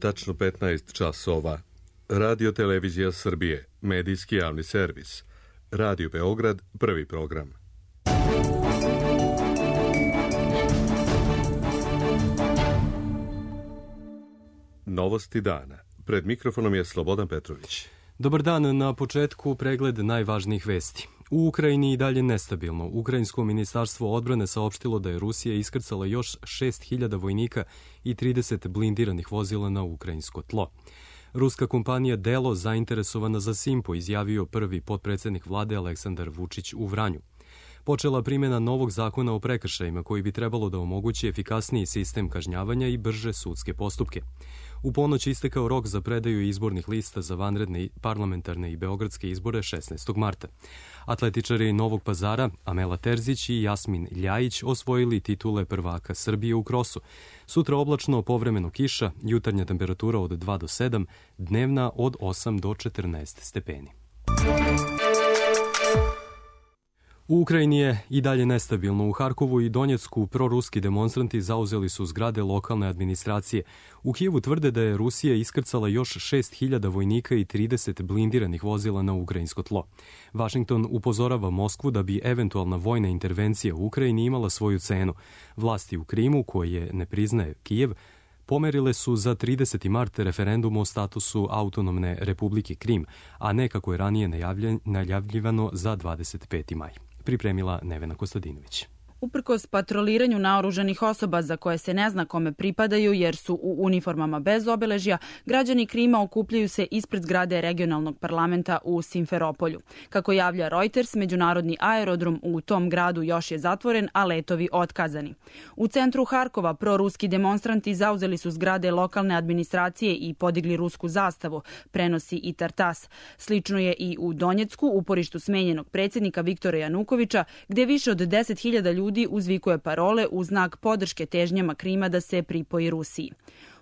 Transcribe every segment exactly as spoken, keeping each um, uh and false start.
tačno petnaest časova. Radio Televizija Srbije, medijski javni servis. Radio Beograd, prvi program. Novosti dana. Pred mikrofonom je Slobodan Petrović. Dobar dan, na početku pregled najvažnijih vesti. U Ukrajini i dalje nestabilno. Ukrajinsko ministarstvo odbrane saopštilo da je Rusija iskrcala još šest hiljada vojnika i trideset blindiranih vozila na ukrajinsko tlo. Ruska kompanija Delo, zainteresovana za Simpo, izjavio prvi potpredsednik vlade Aleksandar Vučić u Vranju. Počela primjena novog zakona o prekršajima koji bi trebalo da omogući efikasniji sistem kažnjavanja i brže sudske postupke. U ponoć istekao rok za predaju izbornih lista za vanredne parlamentarne i beogradske izbore šesnaestog marta. Atletičari Novog Pazara, Amela Terzić i Jasmin Ljajić osvojili titule prvaka Srbije u krosu. Sutra oblačno, povremeno kiša, jutarnja temperatura od dva do sedam, dnevna od osam do četrnaest stepeni. U Ukrajini je i dalje nestabilno. U Harkovu i Donjecku proruski demonstranti zauzeli su zgrade lokalne administracije. U Kijevu tvrde da je Rusija iskrcala još šest hiljada vojnika i trideset blindiranih vozila na ukrajinsko tlo. Vašington upozorava Moskvu da bi eventualna vojna intervencija u Ukrajini imala svoju cenu. Vlasti u Krimu, koje ne priznaje Kijev, pomerile su za trideseti mart referendum o statusu autonomne Republike Krim, a ne kako je ranije najavljivano za dvadeset peti maj. Pripremila Nevena Kostadinović. Uprkos patroliranju naoružanih osoba za koje se ne zna kome pripadaju jer su u uniformama bez obeležja, građani Krima okupljaju se ispred zgrade regionalnog parlamenta u Simferopolju. Kako javlja Reuters, međunarodni aerodrom u tom gradu još je zatvoren, a letovi otkazani. U centru Harkova proruski demonstranti zauzeli su zgrade lokalne administracije i podigli rusku zastavu, prenosi i Tartas. Slično je i u Donjecku, uporištu smenjenog predsjednika Viktora Janukovića, gde više od deset hiljada ljudi uzvikuje parole u znak podrške težnjama Krima da se pripoji Rusiji.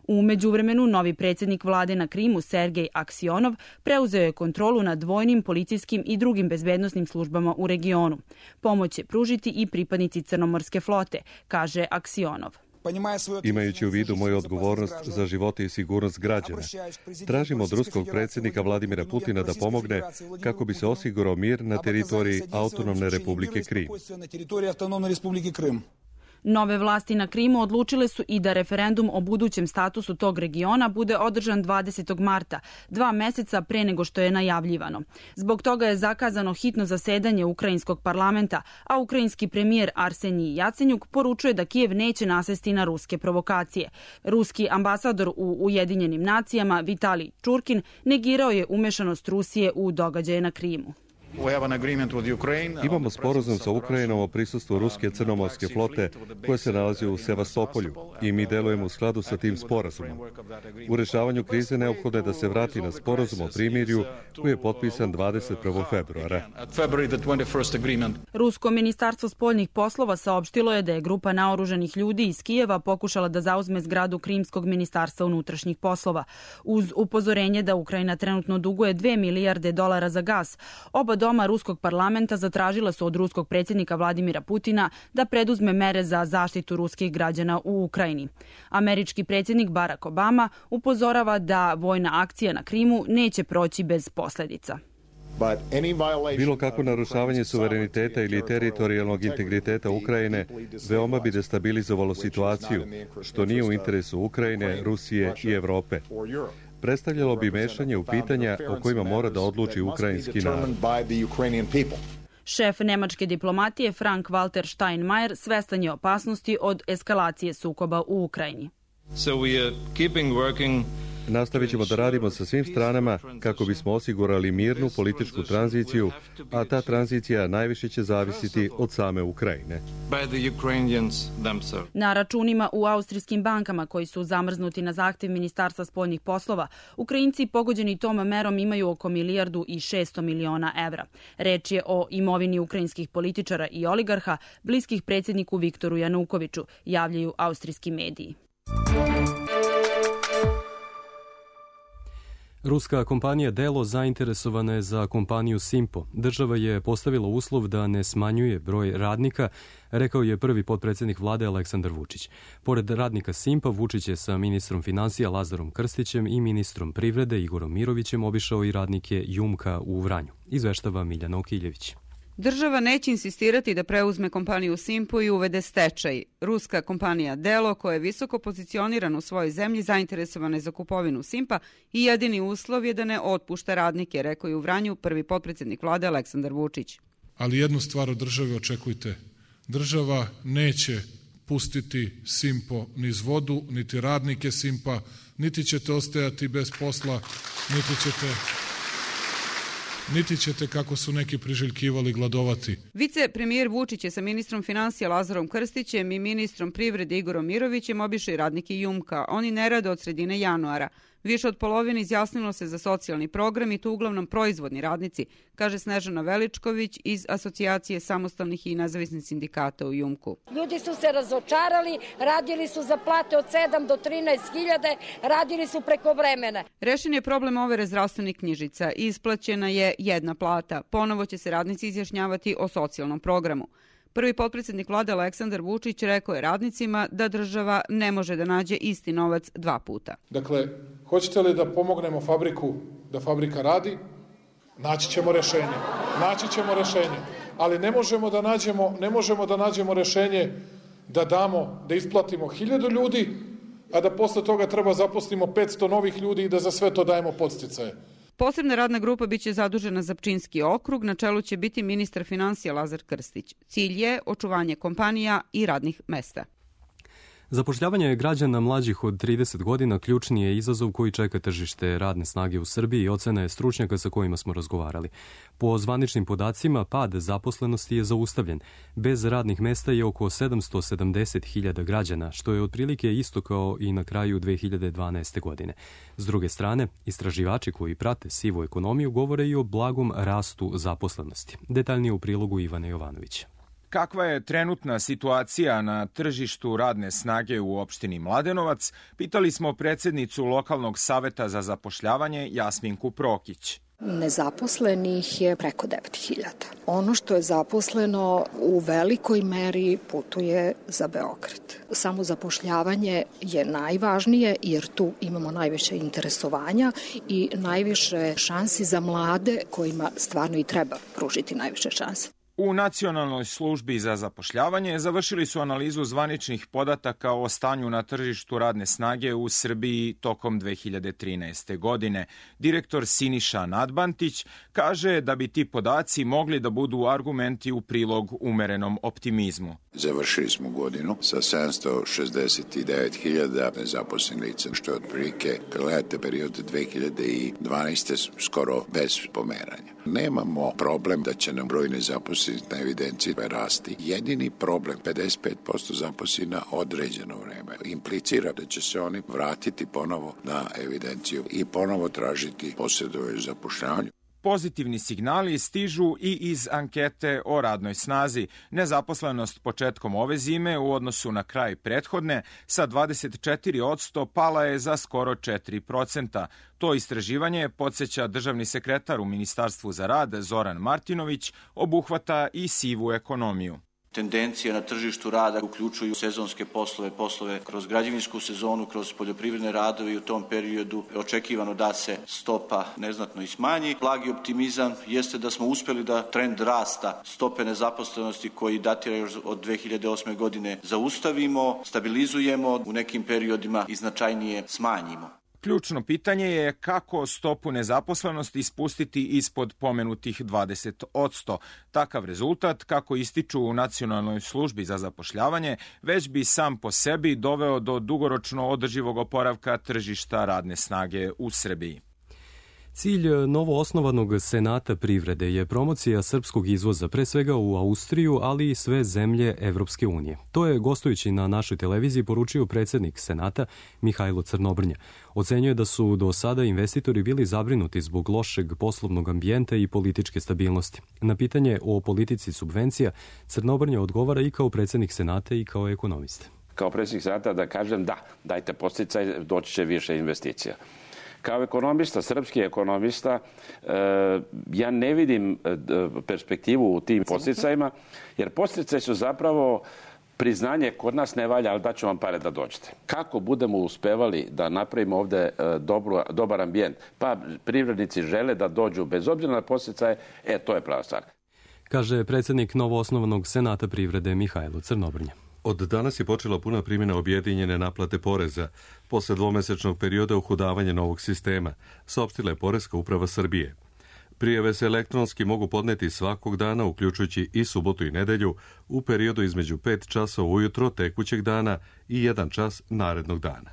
U međuvremenu, novi predsjednik vlade na Krimu, Sergej Aksionov, preuzeo je kontrolu nad vojnim, policijskim i drugim bezbednosnim službama u regionu. Pomoć će pružiti i pripadnici Crnomorske flote, kaže Aksionov. Imajući u vidu moju odgovornost za živote i sigurnost građana, tražim od ruskog predsjednika Vladimira Putina da pomogne kako bi se osigurao mir na teritoriji autonomne Republike Krim. Nove vlasti na Krimu odlučile su i da referendum o budućem statusu tog regiona bude održan dvadesetog marta, dva meseca pre nego što je najavljivano. Zbog toga je zakazano hitno zasedanje ukrajinskog parlamenta, a ukrajinski premijer Arsenij Jacenjuk poručuje da Kijev neće nasesti na ruske provokacije. Ruski ambasador u Ujedinjenim nacijama Vitalij Čurkin negirao je umešanost Rusije u događaje na Krimu. Imamo sporazum sa Ukrajinom o prisustvu ruske crnomorske flote koja se nalazi u Sevastopolju i mi delujemo u skladu sa tim sporazumom. U rešavanju krize neophodno je da se vrati na sporazum o primirju koji je potpisan dvadeset prvog februara. Rusko ministarstvo spoljnih poslova saopštilo je da je grupa naoružanih ljudi iz Kijeva pokušala da zauzme zgradu Krimskog ministarstva unutrašnjih poslova. Uz upozorenje da Ukrajina trenutno duguje dve milijarde dolara za gas, oba doma ruskog parlamenta zatražila su od ruskog predsjednika Vladimira Putina da preduzme mere za zaštitu ruskih građana u Ukrajini. Američki predsjednik Barack Obama upozorava da vojna akcija na Krimu neće proći bez posljedica. Bilo kako narušavanje suvereniteta ili teritorijalnog integriteta Ukrajine veoma bi destabilizovalo situaciju, što nije u interesu Ukrajine, Rusije i Evrope. Predstavljalo bi mešanje u pitanja o kojima mora da odluči ukrajinski narod. Šef nemačke diplomatije Frank Walter Steinmeier svestan je opasnosti od eskalacije sukoba u Ukrajini. So we are keeping working Nastavit ćemo da radimo sa svim stranama kako bismo osigurali mirnu političku tranziciju, a ta tranzicija najviše će zavisiti od same Ukrajine. Na računima u austrijskim bankama koji su zamrznuti na zahtev Ministarstva spoljnih poslova, Ukrajinci pogođeni tom merom imaju oko milijardu i šesto miliona evra. Reč je o imovini ukrajinskih političara i oligarha, bliskih predsjedniku Viktoru Janukoviću, javljaju austrijski mediji. Ruska kompanija Delo zainteresovana je za kompaniju Simpo. Država je postavila uslov da ne smanjuje broj radnika, rekao je prvi potpredsjednik vlade Aleksandar Vučić. Pored radnika Simpa, Vučić je sa ministrom financija Lazarom Krstićem i ministrom privrede Igorom Mirovićem obišao i radnike Jumka u Vranju. Izveštava Miljana Okiljević. Država neće insistirati da preuzme kompaniju Simpo i uvede stečaj. Ruska kompanija Delo, koja je visoko pozicionirana u svojoj zemlji, zainteresovana je za kupovinu Simpa i jedini uslov je da ne otpušta radnike, rekao je u Vranju prvi potpredsjednik vlade Aleksandar Vučić. Ali jednu stvar od države očekujte. Država neće pustiti Simpo niz vodu, niti radnike Simpa, niti ćete ostajati bez posla, niti ćete... niti ćete, kako su neki priželjkivali, gladovati. Vice premijer Vučić je sa ministrom financija Lazarom Krstićem i ministrom privrede Igorom Mirovićem obišli radnike Jumka. Oni ne rade od sredine januara. Više od polovine izjasnilo se za socijalni program i to uglavnom proizvodni radnici, kaže Snežana Veličković iz Asocijacije samostalnih i nezavisnih sindikata u Jumku. Ljudi su se razočarali, radili su za plate od sedam do trinaest hiljada, radili su preko vremena. Rešen je problem overe zdravstvenih knjižica. Isplaćena je jedna plata. Ponovo će se radnici izjašnjavati o socijalnom programu. Prvi potpredsjednik vlade Aleksandar Vučić rekao je radnicima da država ne može da nađe isti novac dva puta. Dakle, hoćete li da pomognemo fabriku da fabrika radi? Naći ćemo rešenje. Naći ćemo rešenje. Ali ne možemo da nađemo, ne možemo da nađemo rešenje da damo, da isplatimo hiljadu ljudi, a da posle toga treba zaposlimo petsto novih ljudi i da za sve to dajemo podsticaje. Posebna radna grupa biće zadužena za Pčinjski okrug, na čelu će biti ministar financija Lazar Krstić. Cilj je očuvanje kompanija i radnih mesta. Zapošljavanje građana mlađih od trideset godina ključni je izazov koji čeka tržište radne snage u Srbiji i ocena je stručnjaka sa kojima smo razgovarali. Po zvaničnim podacima, pad zaposlenosti je zaustavljen. Bez radnih mesta je oko sedamsto sedamdeset hiljada građana, što je otprilike isto kao i na kraju dve hiljade dvanaeste. godine. S druge strane, istraživači koji prate sivu ekonomiju govore i o blagom rastu zaposlenosti. Detaljnije u prilogu Ivana Jovanovića. Kakva je trenutna situacija na tržištu radne snage u opštini Mladenovac, pitali smo predsjednicu lokalnog saveta za zapošljavanje Jasminku Prokić. Nezaposlenih je preko devet hiljada. Ono što je zaposleno u velikoj meri putuje za Beograd. Samo zapošljavanje je najvažnije jer tu imamo najviše interesovanja i najviše šansi za mlade kojima stvarno i treba pružiti najviše šanse. U Nacionalnoj službi za zapošljavanje završili su analizu zvaničnih podataka o stanju na tržištu radne snage u Srbiji tokom dve hiljade trinaeste. godine. Direktor Siniša Nadbantić kaže da bi ti podaci mogli da budu argumenti u prilog umerenom optimizmu. Završili smo godinu sa sedamsto šezdeset devet hiljada nezaposlenih lica, što je otprilike, kad gledate period dve hiljade dvanaeste. skoro bez pomeranja. Nemamo problem da će nam broj nezaposlenih na evidenciji rasti. Jedini problem, pedeset pet posto zaposlenih na određeno vreme, implicira da će se oni vratiti ponovo na evidenciju i ponovo tražiti posredovanje zapošljavanju. Pozitivni signali stižu i iz ankete o radnoj snazi. Nezaposlenost početkom ove zime u odnosu na kraj prethodne sa dvadeset četiri posto pala je za skoro četiri procenta. To istraživanje, podsjeća državni sekretar u Ministarstvu za rad Zoran Martinović, obuhvata i sivu ekonomiju. Tendencije na tržištu rada uključuju sezonske poslove, poslove kroz građevinsku sezonu, kroz poljoprivredne radove i u tom periodu očekivano da se stopa neznatno i smanji. Blagi optimizam jeste da smo uspeli da trend rasta stope nezaposlenosti koji datira još od dve hiljade osme. godine zaustavimo, stabilizujemo, u nekim periodima i značajnije smanjimo. Ključno pitanje je kako stopu nezaposlenosti spustiti ispod pomenutih dvadeset posto. Takav rezultat, kako ističu u Nacionalnoj službi za zapošljavanje, već bi sam po sebi doveo do dugoročno održivog oporavka tržišta radne snage u Srbiji. Cilj novoosnovanog Senata privrede je promocija srpskog izvoza, pre svega u Austriju, ali i sve zemlje Evropske unije. To je, gostujući na našoj televiziji, poručio predsjednik Senata Mihajlo Crnobrnja. Ocenjuje da su do sada investitori bili zabrinuti zbog lošeg poslovnog ambijenta i političke stabilnosti. Na pitanje o politici subvencija, Crnobrnja odgovara i kao predsjednik Senata i kao ekonomista. Kao predsjednik Senata da kažem da, dajte podsticaj, doći će više investicija. Kao ekonomista, srpski ekonomista, ja ne vidim perspektivu u tim podsticajima, jer podsticaji su zapravo priznanje kod nas ne valja, ali daću vam pare da dođete. Kako budemo uspevali da napravimo ovde dobro, dobar ambijent? Pa privrednici žele da dođu bez obzira na podsticaje, e, to je prava stvar. Kaže predsjednik novoosnovanog Senata privrede Mihajlo Crnobrnja. Od danas je počela puna primjena objedinjene naplate poreza. Posle dvomesečnog perioda uhudavanja novog sistema, saopštila je Poreska uprava Srbije. Prijave se elektronski mogu podneti svakog dana, uključujući i subotu i nedelju, u periodu između pet časova ujutro tekućeg dana i jedan čas narednog dana.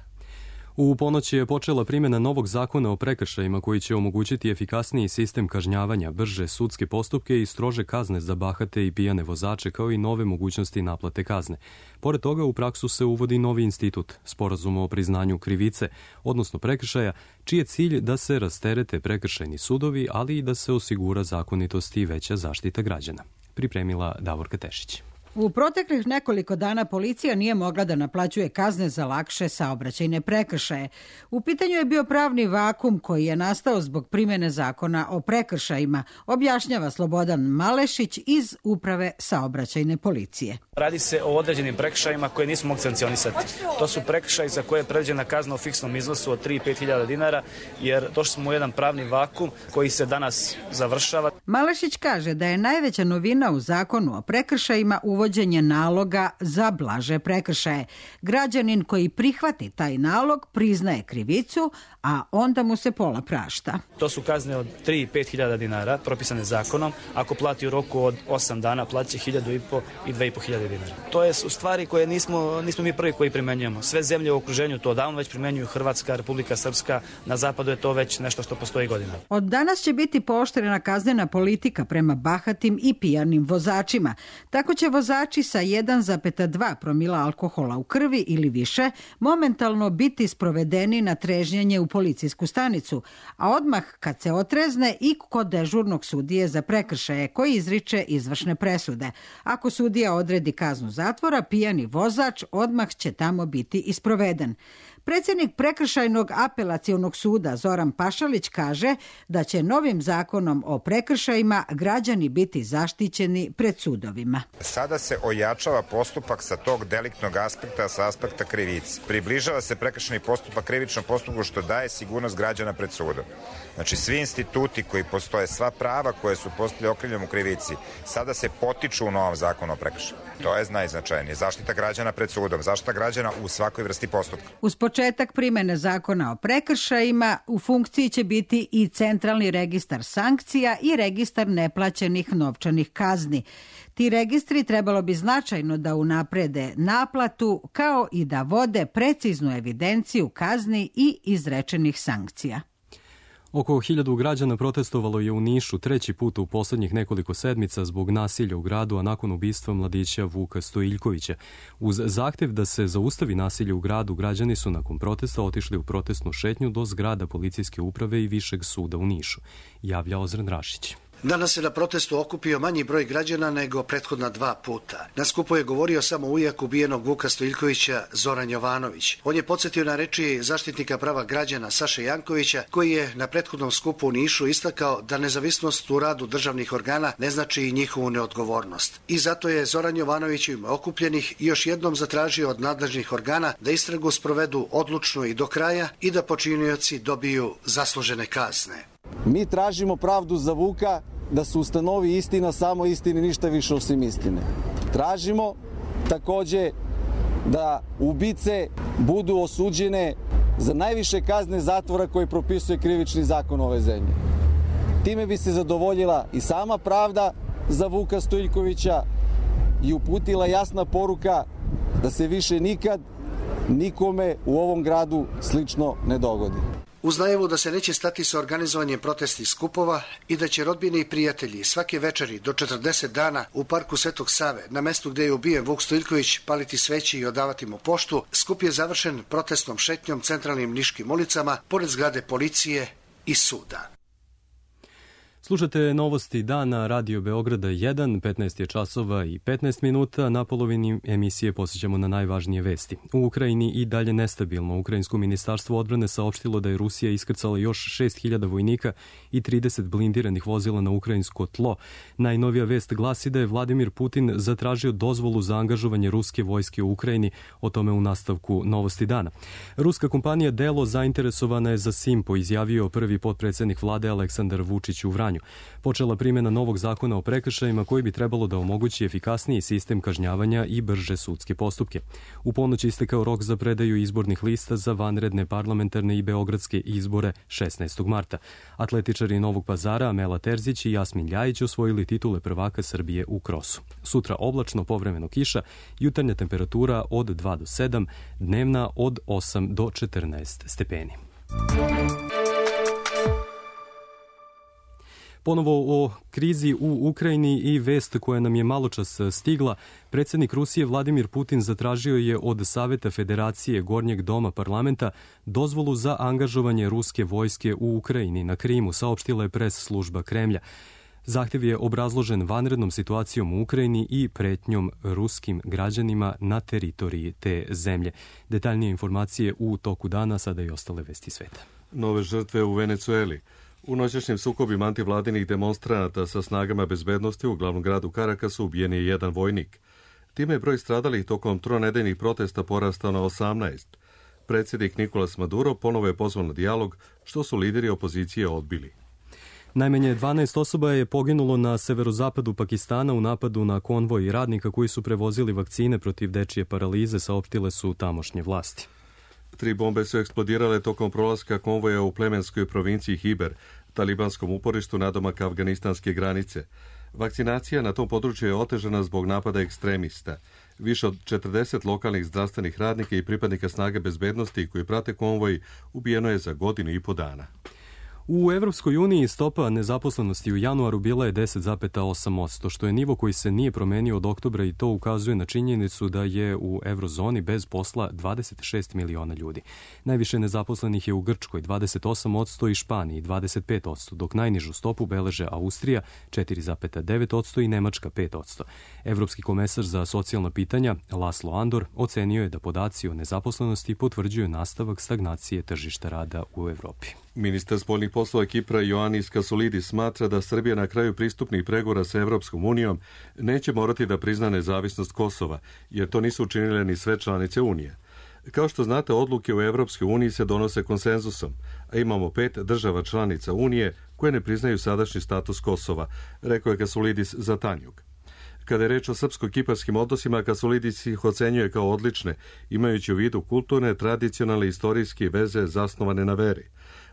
U ponoć je počela primjena novog zakona o prekršajima koji će omogućiti efikasniji sistem kažnjavanja, brže sudske postupke i strože kazne za bahate i pijane vozače, kao i nove mogućnosti naplate kazne. Pored toga, u praksu se uvodi novi institut, sporazum o priznanju krivice, odnosno prekršaja, čiji je cilj da se rasterete prekršajni sudovi, ali i da se osigura zakonitost i veća zaštita građana. Pripremila Davorka Tešić. U proteklih nekoliko dana policija nije mogla da naplaćuje kazne za lakše saobraćajne prekršaje. U pitanju je bio pravni vakum koji je nastao zbog primjene zakona o prekršajima, objašnjava Slobodan Malešić iz Uprave saobraćajne policije. Radi se o određenim prekršajima koje nismo mogli sankcionisati. To su prekršaji za koje je predviđena kazna u fiksnom iznosu od tri do pet hiljada dinara, jer došli smo u jedan pravni vakum koji se danas završava. Malešić kaže da je najveća novina u zakonu o prekršajima uvođenje naloga za blaže prekršaje. Građanin koji prihvati taj nalog priznaje krivicu, a onda mu se pola prašta. To su kazne od tri do pet hiljada dinara, propisane zakonom. Ako plati u roku od osam dana, plaća hiljadu i po i dve i po hiljade dinara. To je u stvari koje nismo, nismo mi prvi koji primenjujemo. Sve zemlje u okruženju to davno već primenjuju, Hrvatska, Republika Srpska, na zapadu je to već nešto što postoji godinama. Od danas će biti pooštrena kaznena politika prema bahatim i pijanim vozačima. Tako će vozači sa jedan zarez dva promila alkohola u krvi ili više momentalno biti sprovedeni na trežnjenje u policijsku stanicu, a odmah kad se otrezne i kod dežurnog sudije za prekršaje koji izriče izvršne presude. Ako sudija odredi kaznu zatvora, pijani vozač odmah će tamo biti i sproveden. Predsjednik Prekršajnog apelacionog suda Zoran Pašalić kaže da će novim zakonom o prekršajima građani biti zaštićeni pred sudovima. Sada se ojačava postupak sa tog deliktnog aspekta, sa aspekta krivice. Približava se prekršajni postupak krivičnom postupku što daje sigurnost građana pred sudom. Znači svi instituti koji postoje, sva prava koje su postali okrivljeni u krivici, sada se potiču u novom zakonu o prekršaju. To je najznačajnije. Zaštita građana pred sudom, zaštita građana u svakoj vrsti postupka. Uz početak primjene zakona o prekršajima u funkciji će biti i centralni registar sankcija i registar neplaćenih novčanih kazni. Ti registri trebalo bi značajno da unaprede naplatu kao i da vode preciznu evidenciju kazni i izrečenih sankcija. Oko hiljadu građana protestovalo je u Nišu treći put u posljednjih nekoliko sedmica zbog nasilja u gradu, a nakon ubistva mladića Vuka Stojiljkovića. Uz zahtev da se zaustavi nasilje u gradu, građani su nakon protesta otišli u protestnu šetnju do zgrada policijske uprave i Višeg suda u Nišu, javlja Ozren Rašić. Danas se na protestu okupio manji broj građana nego prethodna dva puta. Na skupu je govorio samo ujak ubijenog Vuka Stojiljkovića, Zoran Jovanović. On je podsjetio na reči zaštitnika prava građana Saše Jankovića, koji je na prethodnom skupu u Nišu istakao da nezavisnost u radu državnih organa ne znači i njihovu neodgovornost. I zato je Zoran Jovanović u ime okupljenih još jednom zatražio od nadležnih organa da istragu sprovedu odlučno i do kraja i da počinioci dobiju zaslužene kazne. Mi tražimo pravdu za Vuka, da se ustanovi istina, samo istini, ništa više osim istine. Tražimo takođe da ubice budu osuđene za najviše kazne zatvora koje propisuje krivični zakon ove zemlje. Time bi se zadovoljila i sama pravda za Vuka Stojiljkovića i uputila jasna poruka da se više nikad nikome u ovom gradu slično ne dogodi. Uz najavu da se neće stati sa organizovanjem protestnih skupova i da će rodbine i prijatelji svake večeri do četrdeset dana u parku Svetog Save, na mestu gde je ubijen Vuk Stojiljković, paliti sveće i odavati mu poštu, skup je završen protestnom šetnjom centralnim niškim ulicama, pored zgrade policije i suda. Slušate novosti dana Radio Beograda jedan, petnaest je časova i petnaest minuta. Na polovini emisije posjećamo na najvažnije vesti. U Ukrajini i dalje nestabilno. Ukrajinsko ministarstvo odbrane saopštilo da je Rusija iskrcala još šest hiljada vojnika i trideset blindiranih vozila na ukrajinsko tlo. Najnovija vest glasi da je Vladimir Putin zatražio dozvolu za angažovanje ruske vojske u Ukrajini. O tome u nastavku novosti dana. Ruska kompanija Delo zainteresovana je za Simpo, izjavio prvi potpredsjednik vlade Aleksandar Vučić u Vranju. Počela primjena novog zakona o prekršajima koji bi trebalo da omogući efikasniji sistem kažnjavanja i brže sudske postupke. U ponoć istekao rok za predaju izbornih lista za vanredne parlamentarne i beogradske izbore šesnaestog marta. Atletičari Novog Pazara Amela Terzić i Jasmin Ljajić osvojili titule prvaka Srbije u krosu. Sutra oblačno, povremeno kiša, jutarnja temperatura od dva do sedam, dnevna od osam do četrnaest stepeni. Ponovo o krizi u Ukrajini i vest koja nam je maločas stigla. Predsjednik Rusije Vladimir Putin zatražio je od Saveta Federacije Gornjeg doma parlamenta dozvolu za angažovanje ruske vojske u Ukrajini na Krimu, saopštila je pres služba Kremlja. Zahtjev je obrazložen vanrednom situacijom u Ukrajini i pretnjom ruskim građanima na teritoriji te zemlje. Detaljnije informacije u toku dana, sada i ostale vesti sveta. Nove žrtve u Venecueli. U noćašnjim sukobima antivladinih demonstranata sa snagama bezbednosti u glavnom gradu Karakasu ubijen je jedan vojnik. Time je broj stradalih tokom tronedeljnih protesta porastao na osamnaest. Predsjednik Nikolas Maduro ponovo je pozvao na dijalog, što su lideri opozicije odbili. Najmanje dvanaest osoba je poginulo na severozapadu Pakistana u napadu na konvoj radnika koji su prevozili vakcine protiv dečije paralize, saopštile su tamošnje vlasti. Tri bombe su eksplodirale tokom prolaska konvoja u plemenskoj provinciji Hiber, talibanskom uporištu nadomak afganistanske granice. Vakcinacija na tom području je otežana zbog napada ekstremista. Više od četrdeset lokalnih zdravstvenih radnika i pripadnika snage bezbednosti koji prate konvoj ubijeno je za godinu i po dana. U Evropskoj uniji stopa nezaposlenosti u januaru bila je deset zarez osam posto, što je nivo koji se nije promenio od oktobra i to ukazuje na činjenicu da je u eurozoni bez posla dvadeset šest miliona ljudi. Najviše nezaposlenih je u Grčkoj dvadeset osam posto i Španiji dvadeset pet posto, dok najnižu stopu beleže Austrija četiri zarez devet posto i Nemačka pet posto. Evropski komesar za socijalna pitanja Laslo Andor ocenio je da podaci o nezaposlenosti potvrđuju nastavak stagnacije tržišta rada u Evropi. Ministar spoljnih poslova Kipra Ioannis Kassoulidis smatra da Srbija na kraju pristupnih pregovora sa Evropskom unijom neće morati da prizna nezavisnost Kosova, jer to nisu učinile ni sve članice Unije. Kao što znate, odluke u Evropskoj uniji se donose konsenzusom, a imamo pet država članica Unije koje ne priznaju sadašnji status Kosova, rekao je Kassoulidis za Tanjug. Kada je reč o srpsko-kiparskim odnosima, Kassoulidis ih ocenjuje kao odlične, imajući u vidu kulturne, tradicionalne i istorijske veze zasnovane na veri.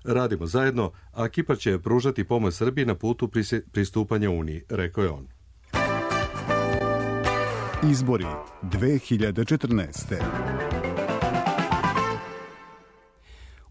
Radimo zajedno, a Kipar će pružati pomoć Srbiji na putu pristupanja Uniji, rekao je on. Izbori dve hiljade četrnaeste.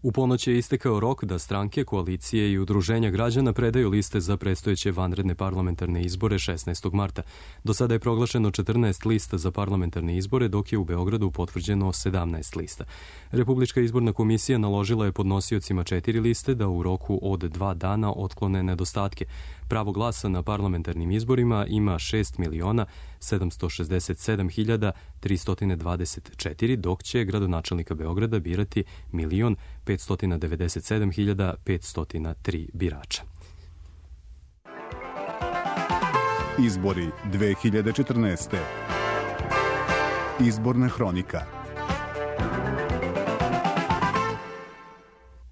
U ponoć je istekao rok da stranke, koalicije i udruženja građana predaju liste za predstojeće vanredne parlamentarne izbore šesnaestog marta. Do sada je proglašeno četrnaest lista za parlamentarne izbore, dok je u Beogradu potvrđeno sedamnaest lista. Republička izborna komisija naložila je podnosiocima četiri liste da u roku od dva dana otklone nedostatke. Pravo glasa na parlamentarnim izborima ima šest miliona sedamsto šezdeset sedam hiljada tristo dvadeset četiri, dok će gradonačelnika Beograda birati milion petsto devedeset sedam hiljada petsto tri birača. Izbori dve hiljade četrnaeste. Izborna hronika.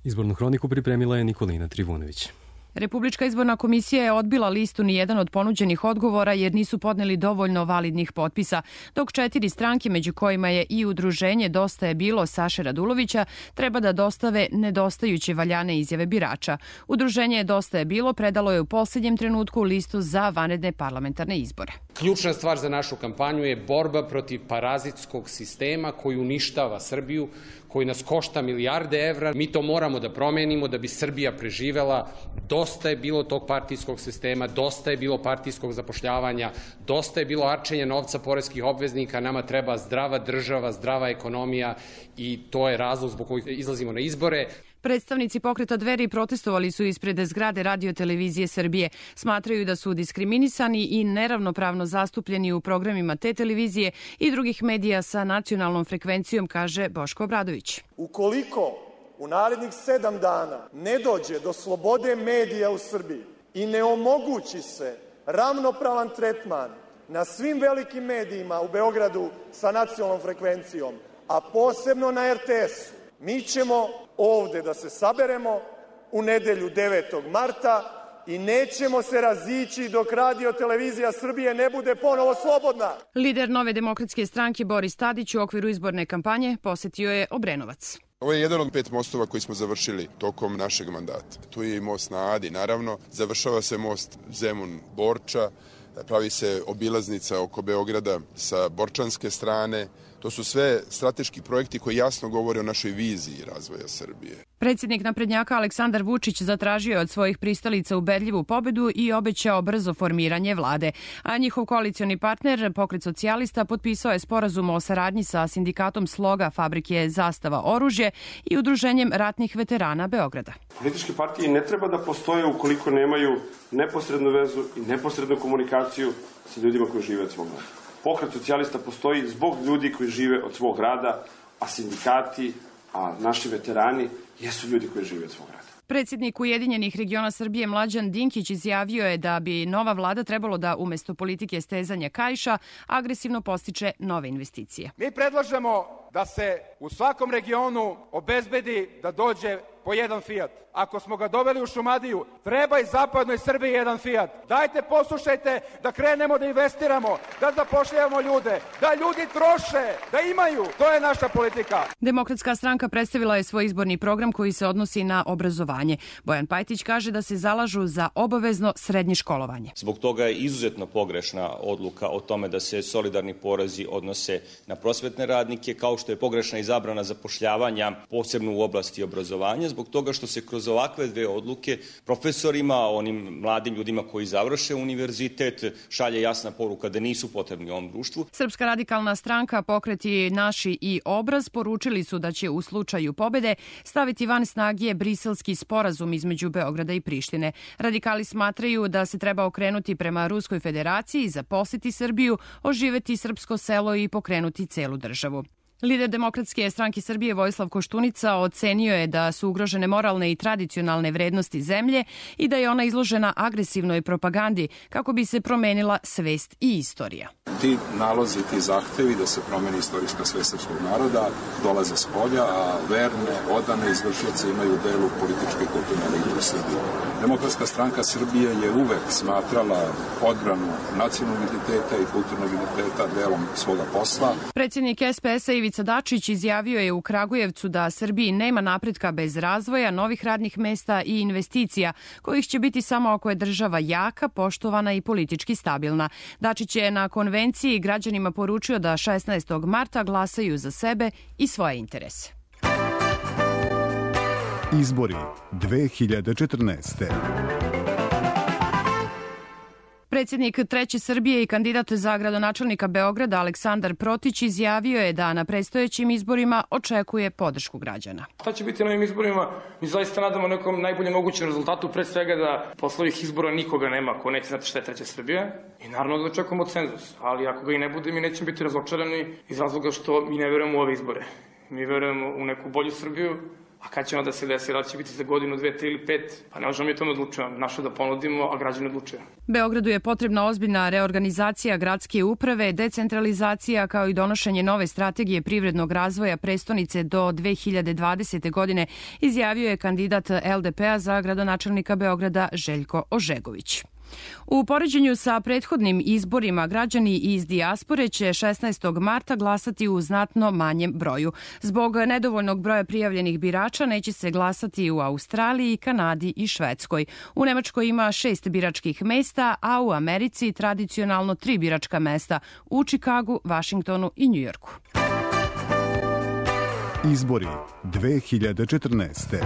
Izbornu hroniku pripremila je Nikolina Trivunović. Republička izborna komisija je odbila listu ni jedan od ponuđenih odgovora jer nisu podneli dovoljno validnih potpisa, dok četiri stranke, među kojima je i udruženje Dosta je bilo Saše Radulovića, treba da dostave nedostajuće valjane izjave birača. Udruženje Dosta je bilo predalo je u posljednjem trenutku listu za vanredne parlamentarne izbore. Ključna stvar za našu kampanju je borba protiv parazitskog sistema koji uništava Srbiju, koji nas košta milijarde evra. Mi to moramo da promenimo da bi Srbija preživela. Dosta je bilo tog partijskog sistema, dosta je bilo partijskog zapošljavanja, dosta je bilo arčenja novca poreskih obveznika. Nama treba zdrava država, zdrava ekonomija i to je razlog zbog kojeg izlazimo na izbore. Predstavnici pokreta Dveri protestovali su ispred zgrade Radio-televizije Srbije. Smatraju da su diskriminisani i neravnopravno zastupljeni u programima te televizije i drugih medija sa nacionalnom frekvencijom, kaže Boško Obradović. Ukoliko u narednih sedam dana ne dođe do slobode medija u Srbiji i ne omogući se ravnopravan tretman na svim velikim medijima u Beogradu sa nacionalnom frekvencijom, a posebno na er te esu, mi ćemo ovde da se saberemo u nedelju devetog marta i nećemo se razići dok Radio-televizija Srbije ne bude ponovo slobodna. Lider Nove demokratske stranke Boris Tadić u okviru izborne kampanje posetio je Obrenovac. Ovo je jedan od pet mostova koji smo završili tokom našeg mandata. Tu je i most na Adi, naravno. Završava se most Zemun-Borča, pravi se obilaznica oko Beograda sa borčanske strane. To su sve strateški projekti koji jasno govore o našoj viziji razvoja Srbije. Predsjednik naprednjaka Aleksandar Vučić zatražio je od svojih pristalica ubedljivu pobedu i obećao brzo formiranje vlade. A njihov koalicioni partner, Pokret socijalista, potpisao je sporazum o saradnji sa sindikatom Sloga fabrike Zastava oružje i Udruženjem ratnih veterana Beograda. Političke partije ne treba da postoje ukoliko nemaju neposrednu vezu i neposrednu komunikaciju sa ljudima koji žive od svog rada. Pokret socijalista postoji zbog ljudi koji žive od svog rada, a sindikati, a naši veterani jesu ljudi koji žive od svog rada. Predsjednik Ujedinjenih regiona Srbije Mlađan Dinkić izjavio je da bi nova vlada trebalo da umesto politike stezanja kaiša agresivno postiče nove investicije. Mi predlažemo da se u svakom regionu obezbedi da dođe po jedan Fiat. Ako smo ga doveli u Šumadiju, treba i zapadnoj Srbiji jedan Fiat. Dajte, poslušajte, da krenemo da investiramo, da zapošljavamo ljude, da ljudi troše, da imaju. To je naša politika. Demokratska stranka predstavila je svoj izborni program koji se odnosi na obrazovanje. Bojan Pajtić kaže da se zalažu za obavezno srednje školovanje. Zbog toga je izuzetno pogrešna odluka o tome da se solidarni porezi odnose na prosvetne radnike, kao što je pogrešna i zabrana zapošljavanja, posebno u oblasti obrazovanja, zbog toga što se kroz ovakve dve odluke profesorima, onim mladim ljudima koji završe univerzitet, šalje jasna poruka da nisu potrebni ovom društvu. Srpska radikalna stranka, Pokreti Naši i Obraz poručili su da će u slučaju pobede staviti van snage Briselski sporazum između Beograda i Prištine. Radikali smatraju da se treba okrenuti prema Ruskoj federaciji, zaposliti Srbiju, oživeti srpsko selo i pokrenuti celu državu. Lider Demokratske stranke Srbije Vojislav Koštunica ocenio je da su ugrožene moralne i tradicionalne vrednosti zemlje i da je ona izložena agresivnoj propagandi kako bi se promenila svest i istorija. Ti nalozi, ti zahtevi da se promeni istorijska svest srpskog naroda dolaze s polja, a verne, odane izvršioci imaju delu političke i kulturne elite u Srbiji. Demokratska stranka Srbije je uvek smatrala odbranu nacionalnog identiteta i kulturnog identiteta delom svoga posla. Predsjednik es pe es-a Ivica Dačić izjavio je u Kragujevcu da Srbiji nema napretka bez razvoja, novih radnih mesta i investicija, kojih će biti samo ako je država jaka, poštovana i politički stabilna. Dačić je na konvenciji građanima poručio da šesnaestog marta glasaju za sebe i svoje interese. Izbori dve hiljade četrnaeste. Predsjednik Treće Srbije i kandidat za gradonačelnika Beograda Aleksandar Protić izjavio je da na predstojećim izborima očekuje podršku građana. Šta će biti na ovim izborima? Mi zaista nadamo nekom najboljem mogućem rezultatu, pre svega da posle ovih izbora nikoga nema ko neće znati šta je Treća Srbija i naravno da očekujemo cenzus, ali ako ga i ne bude mi nećemo biti razočarani iz razloga što mi ne verujemo u ove izbore. Mi verujemo u neku bolju Srbiju. A kad će onda se desi, da će biti za godinu, dve, tri ili pet, pa ne možemo mi tome odlučujemo. Naše da ponudimo, a građani odlučuju. Beogradu je potrebna ozbiljna reorganizacija gradske uprave, decentralizacija kao i donošenje nove strategije privrednog razvoja prestonice do dve hiljade dvadesete. godine, izjavio je kandidat el de pe-a za gradonačelnika Beograda Željko Ožegović. U poređenju sa prethodnim izborima, građani iz dijaspore će šesnaestog marta glasati u znatno manjem broju. Zbog nedovoljnog broja prijavljenih birača neće se glasati u Australiji, Kanadi i Švedskoj. U Nemačkoj ima šest biračkih mesta, a u Americi tradicionalno tri biračka mesta u Čikagu, Vašingtonu i Njujorku. Izbori dve hiljade četrnaeste.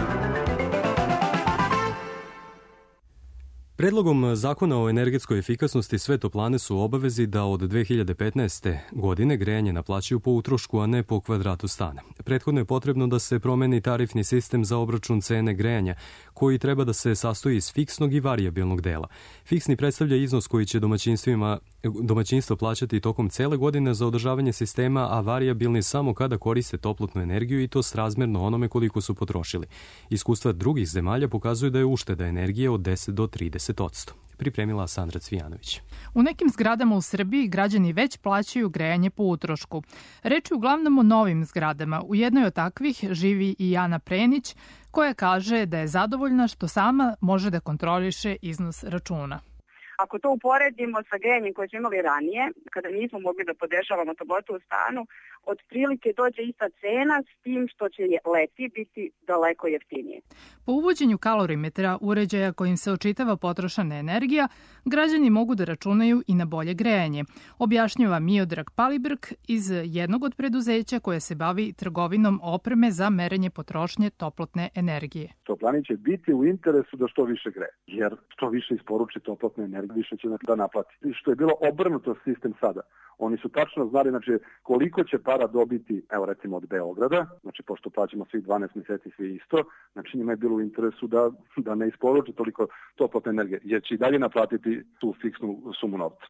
Predlogom zakona o energetskoj efikasnosti sve toplane su u obavezi da od dve hiljade petnaeste. godine grejanje naplaćuju po utrošku, a ne po kvadratu stana. Prethodno je potrebno da se promeni tarifni sistem za obračun cene grejanja, koji treba da se sastoji iz fiksnog i varijabilnog dela. Fiksni predstavlja iznos koji će domaćinstvima domaćinstvo plaćati tokom cele godine za održavanje sistema, a varijabilni samo kada koriste toplotnu energiju i to srazmerno onome koliko su potrošili. Iskustva drugih zemalja pokazuju da je ušteda energije od deset do trideset odsto. Pripremila Sandra Cvijanović. U nekim zgradama u Srbiji građani već plaćaju grejanje po utrošku. Reč je uglavnom o novim zgradama. U jednoj od takvih živi i Jana Prenić, koja kaže da je zadovoljna što sama može da kontroliše iznos računa. Ako to uporedimo sa grejanjem koje smo imali ranije, kada nismo mogli da podešavamo toplotu u stanu, otprilike dođe ista cena s tim što će leti biti daleko jeftinije. Po uvođenju kalorimetra, uređaja kojim se očitava potrošena energija, građani mogu da računaju i na bolje grejanje, objašnjava Miodrag Palibrk iz jednog od preduzeća koje se bavi trgovinom opreme za merenje potrošnje toplotne energije. Toplani će biti u interesu da što više greje, jer što više isporuči toplotne energije, više će da naplati. Što je bilo obrnuto sistem sada. Oni su tačno znali, znači, koliko će para dobiti, evo recimo od Beograda, znači pošto plaćamo svih dvanaest mjeseci svi isto, znači njima je bilo u interesu da, da ne isporuče toliko toplotne energije, jer će i dalje naplatiti tu fiksnu sumu novca.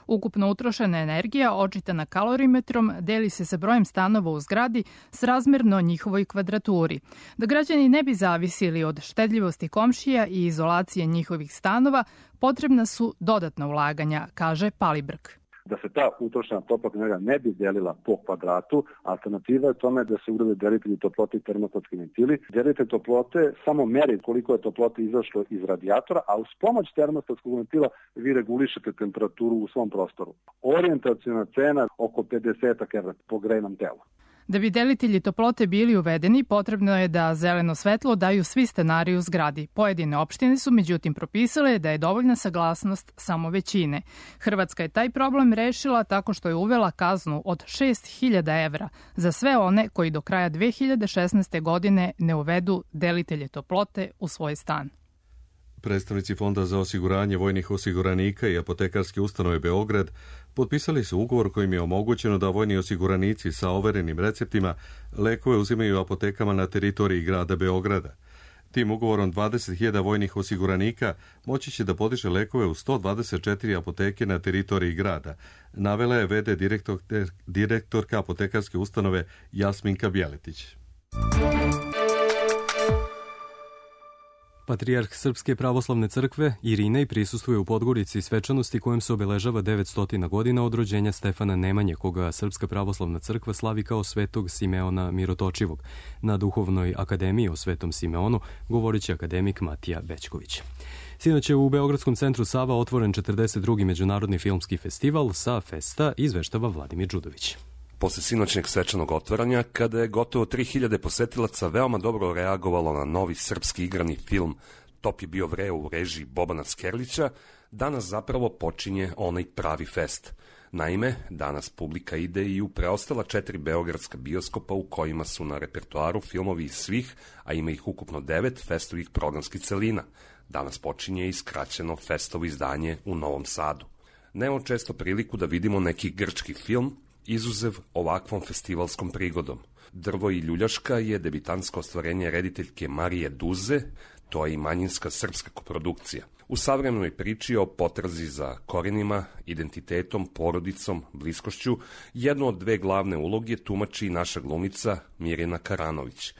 Ukupno utrošena energija, očitana kalorimetrom, deli se sa brojem stanova u zgradi srazmerno njihovoj kvadraturi. Da građani ne bi zavisili od štedljivosti komšija i izolacije njihovih stanova, potrebna su dodatna ulaganja, kaže Palibrk. Da se ta utrošena toplotna energija ne bi delila po kvadratu, alternativa je tome da se urade delitelji toplote i termostatski ventili. Delitelj toplote samo meri koliko je toplote izašlo iz radijatora, a uz pomoć termostatskog ventila vi regulišete temperaturu u svom prostoru. Orijentaciona cena oko pedeset evra po grejnom telu. Da bi delitelji toplote bili uvedeni, potrebno je da zeleno svetlo daju svi stanari u zgradi. Pojedine opštine su međutim propisale da je dovoljna saglasnost samo većine. Hrvatska je taj problem rešila tako što je uvela kaznu od šest hiljada evra za sve one koji do kraja dve hiljade šesnaeste. godine ne uvedu delitelje toplote u svoj stan. Predstavnici Fonda za osiguranje vojnih osiguranika i apotekarske ustanove Beograd potpisali su ugovor kojim je omogućeno da vojni osiguranici sa overenim receptima lekove uzimaju u apotekama na teritoriji grada Beograda. Tim ugovorom dvadeset hiljada vojnih osiguranika moći će da podiže lekove u sto dvadeset četiri apoteke na teritoriji grada, navela je v d direktor, direktorka apotekarske ustanove Jasminka Bjeletić. Patrijarh Srpske pravoslavne crkve Irinej prisustvuje u Podgorici svečanosti kojom se obeležava devetsto godina od rođenja Stefana Nemanje, koga Srpska pravoslavna crkva slavi kao svetog Simeona Mirotočivog. Na Duhovnoj akademiji o svetom Simeonu govorit će akademik Matija Bećković. Sinoć je u Beogradskom centru Sava otvoren četrdeset drugi međunarodni filmski festival sa Festa, izveštava Vladimir Đudović. Posle sinoćnjeg svečanog otvaranja, kada je gotovo tri hiljade posetilaca veoma dobro reagovalo na novi srpski igrani film Top je bio vreo u režiji Bobana Skerlića, danas zapravo počinje onaj pravi fest. Naime, danas publika ide i u preostala četiri beogradska bioskopa u kojima su na repertoaru filmovi iz svih, a ima ih ukupno devet, festovih programskih celina. Danas počinje i skraćeno festovo izdanje u Novom Sadu. Nemamo često priliku da vidimo neki grčki film, izuzev ovakvom festivalskom prigodom. Drvo i ljuljaška je debitansko ostvarenje rediteljke Marije Duze, to je i manjinska srpska koprodukcija. U savremenoj priči o potrazi za korenima, identitetom, porodicom, bliskošću, jednu od dve glavne uloge tumači naša glumica Mirjana Karanović.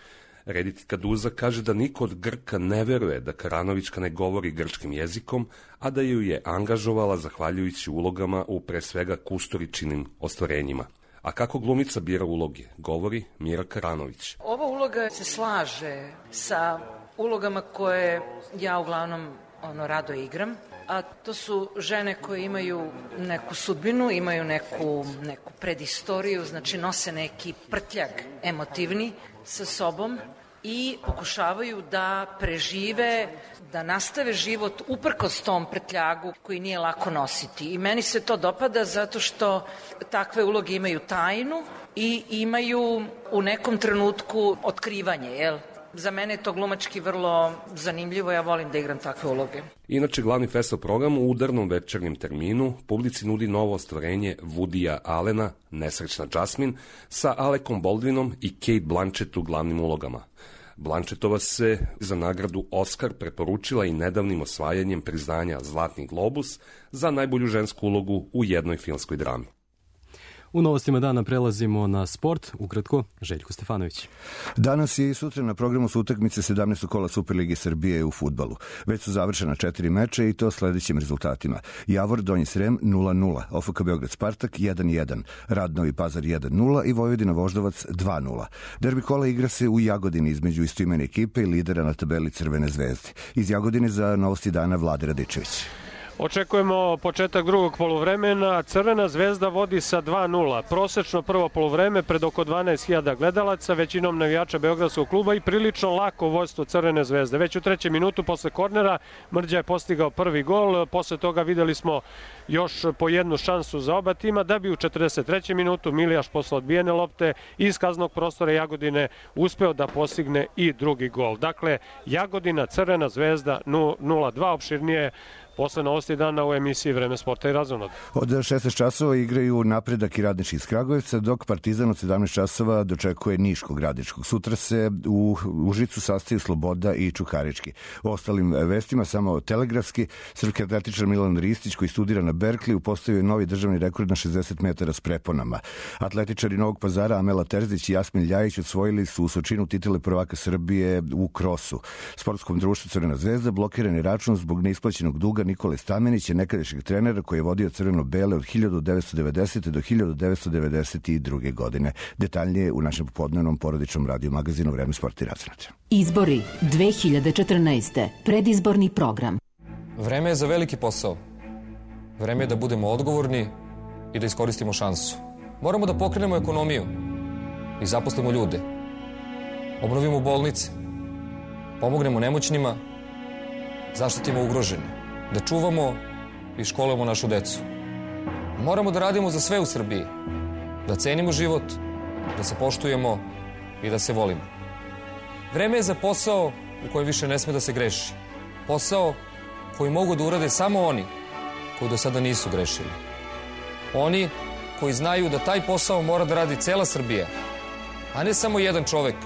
Rediteljka Duza kaže da niko od Grka ne veruje da Karanovićka ne govori grčkim jezikom, a da ju je angažovala zahvaljujući ulogama u pre svega Kusturičinim ostvarenjima. A kako glumica bira uloge, govori Mira Karanović. Ova uloga se slaže sa ulogama koje ja uglavnom ono rado igram, a to su žene koje imaju neku sudbinu, imaju neku, neku predistoriju, znači nose neki prtljag emotivni sa sobom i pokušavaju da prežive, da nastave život uprkos tom prtljagu koji nije lako nositi. I meni se to dopada zato što takve uloge imaju tajnu i imaju u nekom trenutku otkrivanje, jel? Za mene je to glumački vrlo zanimljivo, ja volim da igram takve uloge. Inače, glavni festival program u udarnom večernjem terminu publici nudi novo ostvarenje Woodya Allena, Nesrećna Jasmine, sa Alekom Baldwinom i Cate Blanchett u glavnim ulogama. Blanchettova se za nagradu Oscar preporučila i nedavnim osvajanjem priznanja Zlatni globus za najbolju žensku ulogu u jednoj filmskoj drami. U novostima dana prelazimo na sport. Ukratko, Željko Stefanović. Danas je i sutra na programu su utakmice sedamnaestog kola Superlige Srbije u fudbalu. Već su završena četiri meča i to sledećim rezultatima. Javor Donji Srem nula nula, O F K Beograd Spartak jedan jedan, Rad Novi Pazar jedan nula i Vojvodina Voždovac dva nula. Derbi kola igra se u Jagodini između istoimene ekipe i lidera na tabeli Crvene zvezde. Iz Jagodine za novosti dana Vlade Radičević. Očekujemo početak drugog poluvremena. Crvena zvezda vodi sa dva nula. Prosečno prvo poluvreme pred oko dvanaest hiljada gledalaca, većinom navijača Beogradskog kluba i prilično lako vođstvo Crvene zvezde. Već u trećem minutu posle kornera Mrđa je postigao prvi gol. Posle toga videli smo još po jednu šansu za oba tima, da bi u četrdeset trećem minutu Milijaš posle odbijene lopte iz kaznog prostora Jagodine uspeo da postigne i drugi gol. Dakle, Jagodina, Crvena zvezda nula dva, opširnije posle novosti dana u emisiji Vreme sporta i razonod. Od šesnaest časova igraju Napredak i Radnički iz Kragujevca, dok Partizan od sedamnaest časova dočekuje Niškog Radničkog. Sutra se u Užicu sastaju Sloboda i Čukarički. O ostalim vestima samo telegrafski. Srpski atletičar Milan Ristić, koji studira na Berkliju, postavio je novi državni rekord na šezdeset metara s preponama. Atletičari Novog Pazara Amela Terzić i Jasmin Ljajić osvojili su u Sočinu titule prvaka Srbije u krosu. Sportskom društvu Crvena zvezda blokiran je račun zbog neisplaćenog duga Nikole Stamenića, nekadašnjeg trenera koji je vodio crveno-bele od hiljadu devetsto devedesete. do hiljadu devetsto devedeset druge. godine. Detaljnije u našem popodnevnom porodičnom radio magazinu Vreme sporta i razonod. Izbori dve hiljade četrnaeste. Predizborni program. Vreme je za veliki posao. Vreme je da budemo odgovorni i da iskoristimo šansu. Moramo da pokrenemo ekonomiju i zaposlimo ljude. Obnovimo bolnice. Pomognemo nemoćnima. Zaštitimo ugrožene. Da čuvamo i školujemo našu decu. Moramo da radimo za sve u Srbiji. Da cenimo život, da se poštujemo i da se volimo. Vreme je za posao u kojem više ne sme da se greši. Posao koji mogu da urade samo oni koji do sada nisu grešili. Oni koji znaju da taj posao mora da radi cela Srbija, a ne samo jedan čovek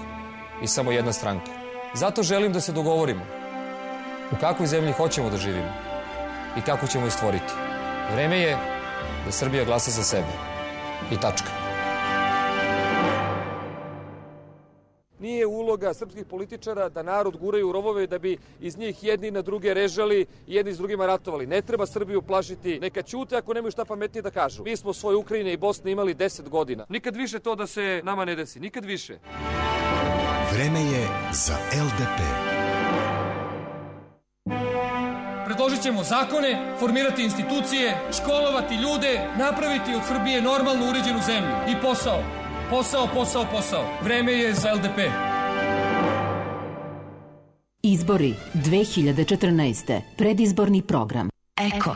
i samo jedna stranka. Zato želim da se dogovorimo u kakvoj zemlji hoćemo da živimo i kako ćemo je stvoriti. Vreme je da Srbija glasa za sebe. I tačka. Nije uloga srpskih političara da narod guraju u rovove da bi iz njih jedni na druge režali i jedni s drugima ratovali. Ne treba Srbiju plašiti. Neka ćute ako nemaju šta pametnije da kažu. Mi smo svoje Ukrajine i Bosne imali deset godina. Nikad više to da se nama ne desi. Nikad više. Vreme je za L D P. Predložit ćemo zakone, formirati institucije, školovati ljude, napraviti od Srbije normalno uređenu zemlju. I posao. Posao, posao, posao. Vreme je za L D P. Izbori dve hiljade četrnaeste. Predizborni program. Eko.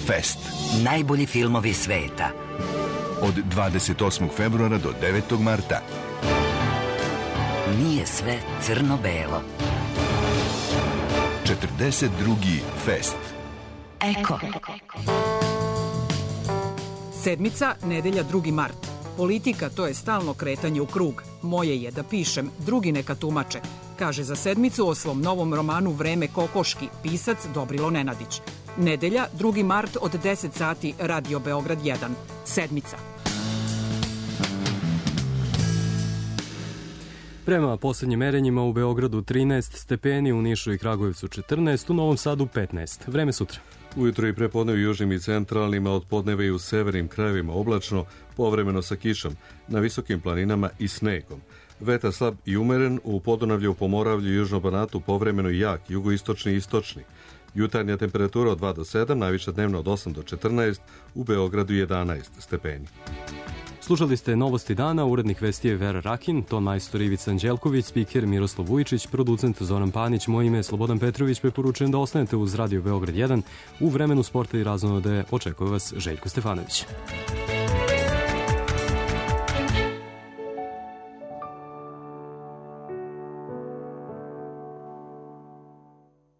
Fest. Najbolji filmovi sveta. Od dvadeset osmog februara do devetog marta. Nije sve crno-belo. četrdeset drugi Fest. Eko. Sedmica, nedelja drugi mart. Politika, to je stalno kretanje u krug. Moje je da pišem, drugi neka tumače. Kaže za sedmicu o svom novom romanu Vreme kokoški, pisac Dobrilo Nenadić. Nedelja, drugi mart od deset sati, Radio Beograd jedan. Sedmica. Prema poslednjim merenjima u Beogradu trinaest stepeni, u Nišu i Kragujevcu četrnaest, u Novom Sadu petnaest. Vreme sutra. Ujutro i prepodne u južnim i centralnim, a od podneva i u severnim krajevima oblačno, povremeno sa kišom, na visokim planinama i snegom. Vetar slab i umeren, u Podunavlju, Pomoravlju i Južnom Banatu povremeno i jak, jugoistočni i istočni. Jutarnja temperatura od dva do sedam, najviša dnevna od osam do četrnaest, u Beogradu jedanaest stepeni. Slušali ste Novosti dana, urednik vesti je Vera Rakin, ton majstor Ivica Anđelković, spiker Miroslav Vujičić, producent Zoran Panić, moje ime je Slobodan Petrović, preporučujem da ostanete uz Radio Beograd jedan. U vremenu sporta i razonode očekuje vas Željko Stefanović.